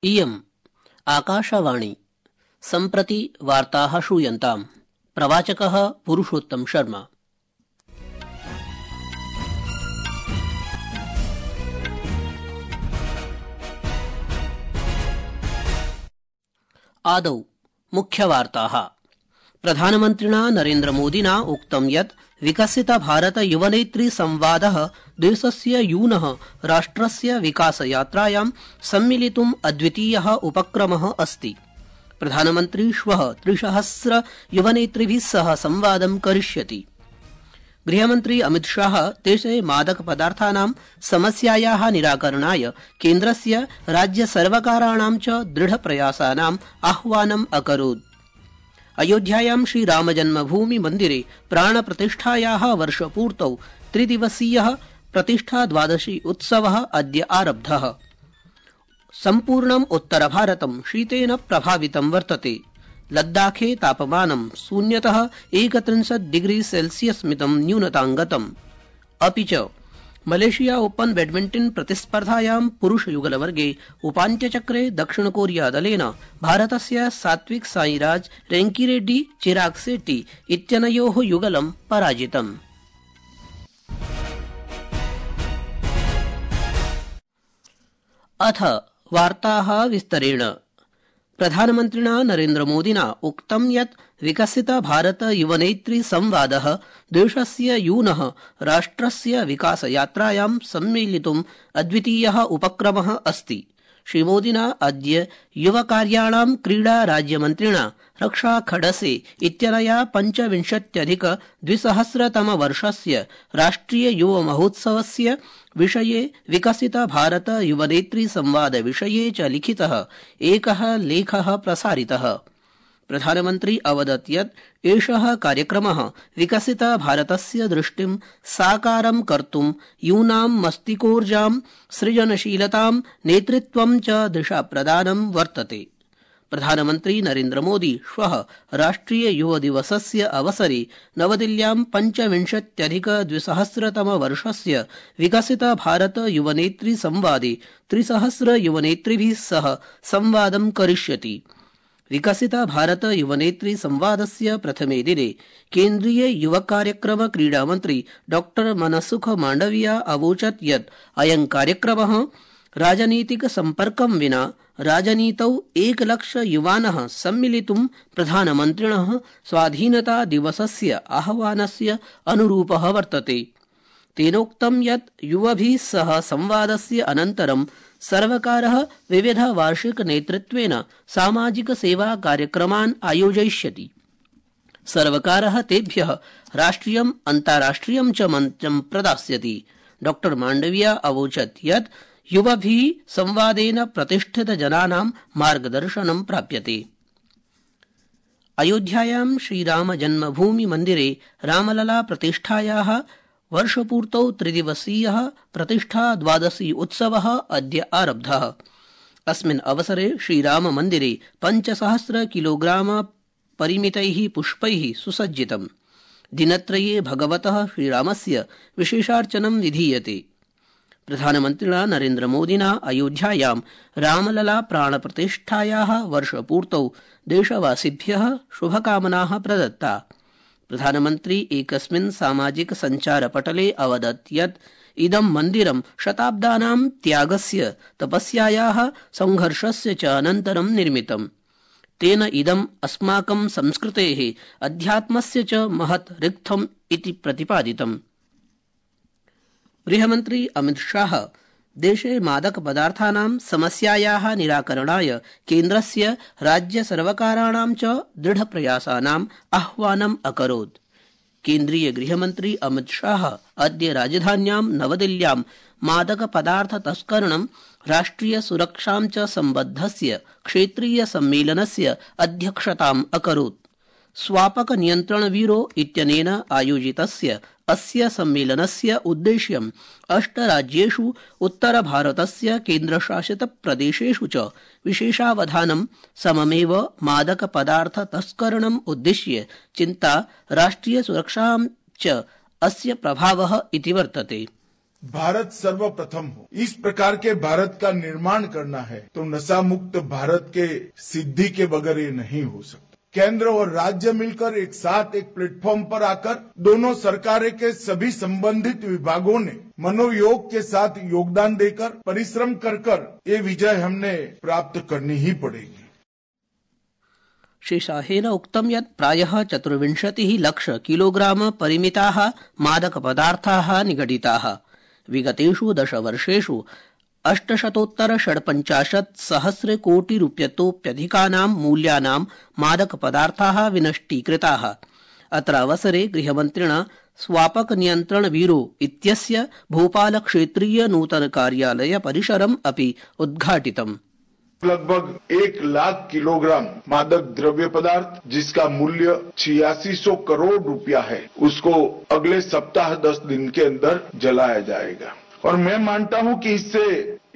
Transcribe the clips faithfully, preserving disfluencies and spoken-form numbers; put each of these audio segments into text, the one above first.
इयम् आकाशवाणी सम्प्रति वार्ताः श्रूयन्ताम्। प्रवाचकः पुरुषोत्तम शर्मा। आदौ मुख्यवार्ताः। प्रधानमन्त्रिणा नरेन्द्रमोदिना उक्तं यत् विकसित भारत युवनेत्री संवादः देशस्य यूनः राष्ट्रस्य विकासयात्रायां सम्मिलितुम् अद्वितीयः उपक्रमः अस्ति। प्रधानमन्त्री श्वः त्रिसहस्र युवनेतृभिः सह संवादं करिष्यति। गृहमन्त्री अमितशाह देशे मादकपदार्थानां समस्यायाः निराकरणाय केन्द्रस्य राज्यसर्वकाराणां च दृढप्रयासानाम् आह्वानम् अकरोत्। अयोध्यायां श्रीरामजन्मभूमि मन्दिरे प्राणप्रतिष्ठायाः वर्षपूर्तौ त्रिदिवसीयः प्रतिष्ठा द्वादशी उत्सवः अद्य आरब्धः। सम्पूर्णम् उत्तरभारतं शीतेन प्रभावितं वर्तते। लद्दाखे तापमानं शून्यतः एकत्रिंशत् डिग्री सेल्सियस् मितं न्यूनताङ्गतम्। अपि च मलेशिया ओपन बैडमिंटन प्रतिस्पर्धायां पुरुषयुगलवर्गे उपान्त्यचक्रे दक्षिणकोरिया दलेन भारतस्य सात्विक साईराज रेंकीरेड्डी चिराग शेट्टी इत्यनयोः युगलं पराजितम्। अथ वार्ताः विस्तरेण। प्रधानमन्त्रिणा नरेन्द्रमोदिना उक्तं यत् विकसित भारत युवनेत्री संवादः देशस्य यूनः राष्ट्रस्य विकासयात्रायां सम्मिलितुम् अद्वितीयः उपक्रमः अस्ति। श्रीमोदिना अद्य युवकार्याणां क्रीडा राज्यमन्त्रिणा रक्षा खडसे इत्यनया पञ्चविंशत्यधिक द्विसहस्रतमवर्षस्य राष्ट्रिय युव महोत्सवस्य विषये विकसित भारत युवनेत्री संवाद विषये च लिखितः एकः लेखः प्रसारितः। प्रधानमन्त्री अवदत् यत् एषः कार्यक्रमः विकसित भारतस्य दृष्टिं साकारं कर्तुं यूनां मस्तिष्कोर्जां सृजनशीलतां नेतृत्वं च दिशाप्रदानं वर्तते। प्रधानमन्त्री नरेन्द्रमोदी श्वः राष्ट्रिय युव दिवसस्य अवसरे नवदिल्ल्यां पञ्चविंशत्यधिक द्विसहस्रतमवर्षस्य विकसित भारत युवनेत्री संवादे त्रिसहस्र युवनेतृभिः सह संवादं करिष्यति। विकसित भारत युवनेत्री संवादस्य प्रथमे दिने केन्द्रीय युवकार्यक्रम क्रीडामन्त्री डॉ मनसुख मांडविया अवोचत् यत् अयं कार्यक्रमः राजनीतिक सम्पर्कं विना राजनीतौ एकलक्ष युवानः सम्मिलितुं प्रधानमन्त्रिणः स्वाधीनता दिवसस्य आह्वानस्य अनुरूपः वर्तते। तेनोक्तं यत् युवभिः सह संवादस्य अनन्तरं सर्वकारः विविध वार्षिक नेतृत्वेन सामाजिक सेवा कार्यक्रमान् आयोजयिष्यति। सर्वकारः तेभ्यः राष्ट्रियम् अन्ताराष्ट्रियं च मञ्चं प्रदास्यति। डॉ मांडविया अवोचत् यत् युवभिः संवादेन प्रतिष्ठित जनानां मार्गदर्शनं प्राप्यते। अयोध्यायां श्रीराम जन्मभूमि मन्दिरे रामलला प्रतिष्ठायाः वर्षपूर्तौ त्रिदिवसीयः प्रतिष्ठा द्वादशी उत्सवः अद्य आरब्धः। अस्मिन् अवसरे श्रीराम मन्दिरे पञ्चसहस्र किलोग्राम परिमितैः पुष्पैः सुसज्जितम्। दिनत्रये भगवतः श्रीरामस्य विशेषार्चनं विधीयते। प्रधानमन्त्रिणा नरेन्द्रमोदिना अयोध्यायां रामलला प्राणप्रतिष्ठायाः वर्षपूर्तौ देशवासिभ्यः शुभकामनाः प्रदत्ता। प्रधानमन्त्री एकस्मिन् सामाजिक सञ्चारपटले अवदत् यत् इदं मन्दिरं शताब्दानां त्यागस्य तपस्यायाः संघर्षस्य च अनन्तरं निर्मितम्। तेन इदम् अस्माकं संस्कृतेः अध्यात्मस्य च महत् रिक्थम् इति प्रतिपादितम्। गृहमन्त्री अमितशाह देशे मादकपदार्थानां समस्यायाः निराकरणाय केन्द्रस्य राज्यसर्वकाराणां च दृढप्रयासानाम् आह्वानम् अकरोत्। केन्द्रीय गृहमन्त्री अमितशाह अद्य राजधान्यां नवदिल्ल्यां मादकपदार्थ तस्करणं राष्ट्रिय सुरक्षां च सम्बद्धस्य क्षेत्रीय सम्मेलनस्य अध्यक्षताम् अकरोत्। स्वापक नियन्त्रण ब्यूरो इत्यनेन आयोजितस्य अस्य सम्मेलनस्य उद्देश्यम् अष्टराज्येषु उत्तरभारतस्य केन्द्रशासित प्रदेशेषु च विशेषावधानं सममेव मादकपदार्थ तस्करणम् उद्दिश्य चिन्ता राष्ट्रिय सुरक्षां च अस्य प्रभावः इति वर्तते। भारत सर्वप्रथम हो। इस प्रकार के भारत का निर्माण करना है तो नशा मुक्त भारत के सिद्धि के बगैर ये नहीं हो सकता। केंद्र और राज्य मिलकर एक साथ एक प्लेटफॉर्म पर आकर दोनों सरकारें के सभी संबंधित विभागों ने मनोयोग के साथ योगदान देकर परिश्रम कर कर ये विजय हमने प्राप्त करनी ही पड़ेगी। श्री शाहेन उक्तं यत् प्रायः चतुर्विंशतिः लक्ष किलोग्राम परिमिताः मादकपदार्थाः निगडिताः। विगतेषु दशवर्षेषु अष्टशतोत्तर षड्पञ्चाशत् सहस्र कोटि रूप्यतोप्यधिकानां मूल्यानां मादकपदार्थाः विनष्टीकृताः। अत्रावसरे गृहमन्त्रिणा स्वापक नियन्त्रण ब्यूरो इत्यस्य भोपाल क्षेत्रीय नूतन कार्यालय परिसरम् अपि उद्घाटितम्। लगभग एक लाख किलोग्राम मादक द्रव्य पदार्थ जिसका मूल्य छियासी सौ करोड़ रुपया है, उसको अगले सप्ताह दस दिन के अंदर जलाया जाएगा। और मैं मानता हूं कि इससे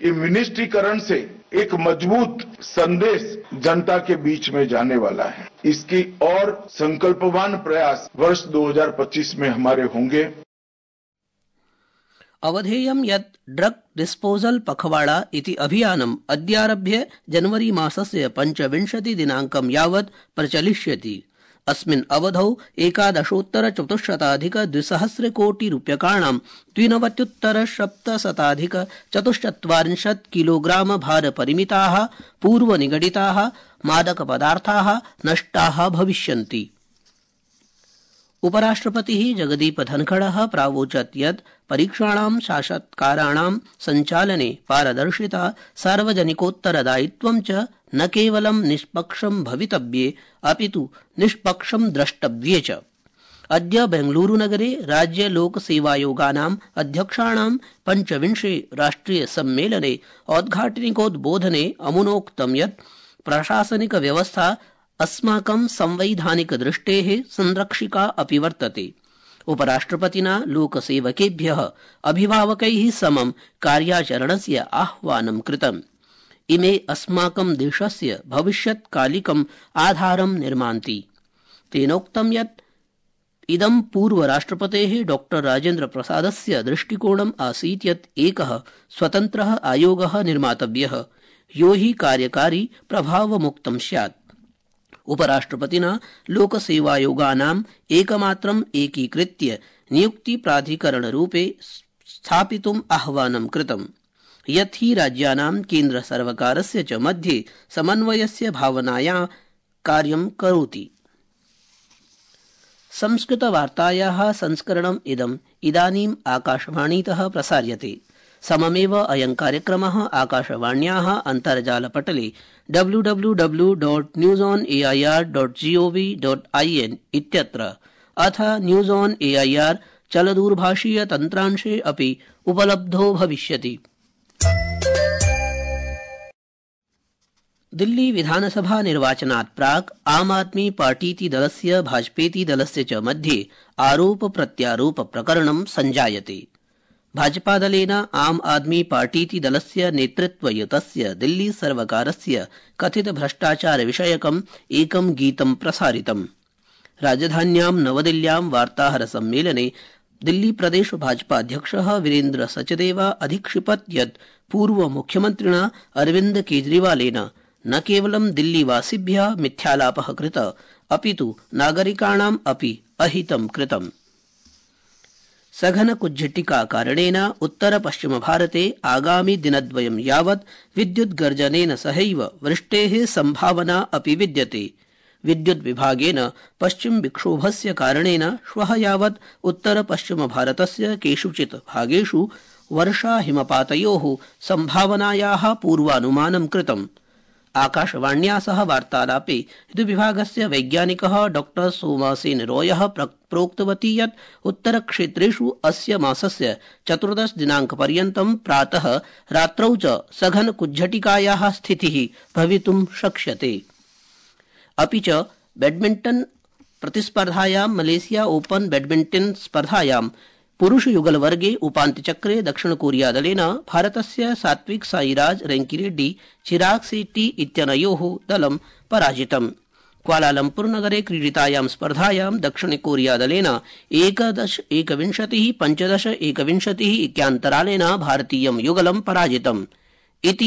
ये विनिष्टीकरण से एक मजबूत संदेश जनता के बीच में जाने वाला है। इसकी और संकल्पवान प्रयास वर्ष दो हज़ार पच्चीस में हमारे होंगे। अवधेयं यत् ड्रग डिस्पोजल पखवाड़ा इति अभियानम् अद्यारभ्य जनवरी मासस्य पञ्चविंशति दिनाङ्कं यावत् प्रचलिष्यति। अस्मिन् अवधौ एकादशोत्तर चतुश्शताधिक द्विसहस्र कोटि रूप्यकाणां द्विनवत्युत्तर सप्तशताधिक चतुश्चत्वारिंशत् किलोग्राम भार परिमिताः पूर्वनिगडिताः मादकपदार्थाः नष्टाः भविष्यन्ति। उपराष्ट्रपतिः जगदीप धनखड़ः प्रावोचत् यत् परीक्षाणां साक्षात्काराणां सञ्चालने पारदर्शिता सार्वजनिकोत्तरदायित्वं च न केवलं निष्पक्षं भवितव्ये अपितु निष्पक्षं द्रष्टव्ये च। अद्य बेंगलुरुनगरे राज्य लोकसेवायोगानाम् अध्यक्षाणां पञ्चविंशे राष्ट्रिय सम्मेलने औद्घाटनिकोद्बोधने अमुनोक्तं यत् प्रशासनिक व्यवस्था अस्माकं संवैधानिक दृष्टेः संरक्षिका अपि वर्तते। उपराष्ट्रपतिना लोकसेवकेभ्यः अभिभावकैः समं कार्याचरणस्य आह्वानं कृतम्। इमे अस्माकं देशस्य भविष्यत्कालिकम् आधारं निर्मान्ति। तेनोक्तं यत् इदं पूर्वराष्ट्रपतेः डॉक्टर राजेन्द्र प्रसादस्य दृष्टिकोणम् आसीत् यत् एकः स्वतन्त्रः आयोगः निर्मातव्यः, यो हि कार्यकारी प्रभावमुक्तं स्यात्। उपराष्ट्रपतिना लोकसेवायोगानाम् एकमात्रम् एकीकृत्य नियुक्तिप्राधिकरणरूपे स्थापितुम् आह्वानं कृतम्, यत् हि राज्यानां केन्द्रसर्वकारस्य च मध्ये समन्वयस्य भावनाया कार्यं करोति। संस्कृतवार्तायाः संस्करणम् इदम् इदानीम् आकाशवाणीतः प्रसार्यते। सममेव अयं कार्यक्रमः आकाशवाण्याः अन्तर्जालपटले W W W dot news on A I R dot GOV dot I N इत्यत्र अथ news on A I R चलदूरभाषीय तन्त्रांशे अपि उपलब्धो भविष्यति। दिल्ली विधानसभा निर्वाचनात् प्राक् आम आदमी पार्टीति दलस्य भाजपेति दलस्य च मध्ये आरोप प्रत्यारोप प्रकरणं सञ्जायते। भाजपादलेन आम आदमी पार्टीति दलस्य नेतृत्वयुतस्य दिल्ली सर्वकारस्य कथित भ्रष्टाचार विषयकम् एकं गीतं प्रसारितम्। राजधान्यां नवदिल्ल्यां वार्ताहर सम्मेलने दिल्ली प्रदेश भाजपाध्यक्षः वीरेन्द्र सचदेवा अधिक्षिपत् यत् पूर्व मुख्यमन्त्रिणा अरविन्द केजरीवालेन न केवलं दिल्लीवासिभ्यः मिथ्यालापः कृत अपितु नागरिकाणाम् अपि अहितं कृतम्। सघन कुज्झटिका कारणेन उत्तर पश्चिम भारते आगामि दिनद्वयं यावत् विद्युत् गर्जनेन सहैव वृष्टेः संभावना अपि विद्यते। विद्युत् विभागेन पश्चिम विक्षोभस्य कारणेन श्वः यावत् उत्तर पश्चिम भारतस्य केषुचित् भागेषु वर्षा हिमपातयोः संभावनायाः पूर्वानुमानं कृतम्। आकाशवाण्या सह वार्तालापे विद्युद्विभागस्य वैज्ञानिकः डॉक्टर सोमासेन रॉयः प्रोक्तवती यत् उत्तरक्षेत्रेषु अस्य मासस्य चतुर्दश दिनाङ्कपर्यन्तं प्रातः रात्रौ च सघन कुज्झटिकायाः स्थितिः भवितुं शक्ष्यते। अपि च बैडमिण्टन प्रतिस्पर्धायां मलेशिया ओपन बैडमिण्टन स्पर्धायां पुरुषयुगलवर्गे उपान्त्यचक्रे दक्षिणकोरियादलेन भारतस्य सात्विक साईराज रैंकीरेड्डी चिराग शेट्टी इत्यनयोः दलं पराजितम्। क्वालालम्पुर नगरे क्रीडितायां स्पर्धायां दक्षिण कोरिया दलेन एकदश एकविंशति पंचदश एकविंशति इत्यान्तरालेन भारतीयं युगलं पराजितम् इति